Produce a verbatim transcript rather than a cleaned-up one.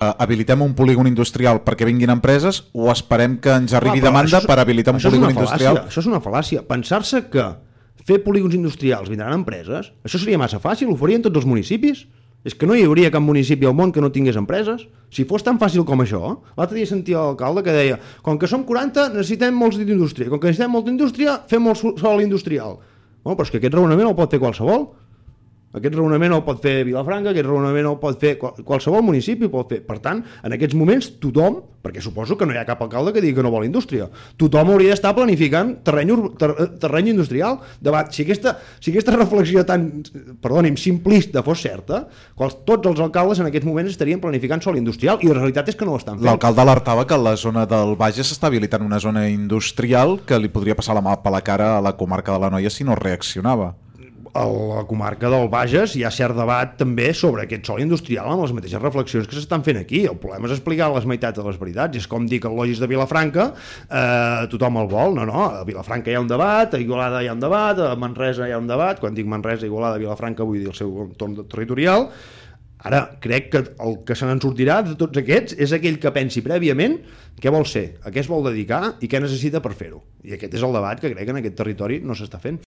habilitem un polígon industrial perquè vinguin empreses o esperem que ens arribi Clar, demanda és, per habilitar un polígon industrial? Això és una fal·làcia. Pensar-se que fer polígons industrials vindran empreses, això seria massa fàcil, ho farien tots els municipis. És que no hi hauria cap municipi al món que no tingués empreses. Si fos tan fàcil com això, l'altre dia sentia l'alcalde que deia com que som quaranta necessitem molts d'indústria, com que necessitem molta indústria fem molt sol industrial. Bueno, però és que aquest raonament el pot fer qualsevol. Aquest raonament el pot fer Vilafranca, aquest raonament el pot fer qualsevol municipi, pot fer. Per tant, en aquests moments tothom, perquè suposo que no hi ha cap alcalde que digui que no vol indústria, tothom hauria d'estar planificant terreny, ter, terreny industrial. Debat, si, aquesta, si aquesta reflexió tan, perdoni'm, simplista fos certa, quals, tots els alcaldes en aquests moments estarien planificant sol industrial i la realitat és que no ho estan fent. L'alcalde alertava que la zona del Bages s'està habilitant una zona industrial que li podria passar la mà per la cara a la comarca de l'Anoia si no reaccionava. A la comarca del Bages hi ha cert debat també sobre aquest sòl industrial amb les mateixes reflexions que s'estan fent aquí. El problema és explicar les meitats de les veritats. És com dir que el Logis de Vilafranca eh, tothom el vol. No, no, a Vilafranca hi ha un debat, a Igualada hi ha un debat, a Manresa hi ha un debat. Quan dic Manresa, Igualada, Vilafranca vull dir el seu entorn territorial. Ara, crec que el que se n'en sortirà de tots aquests és aquell que pensi prèviament què vol ser, a què es vol dedicar i què necessita per fer-ho. I aquest és el debat que crec que en aquest territori no s'està fent.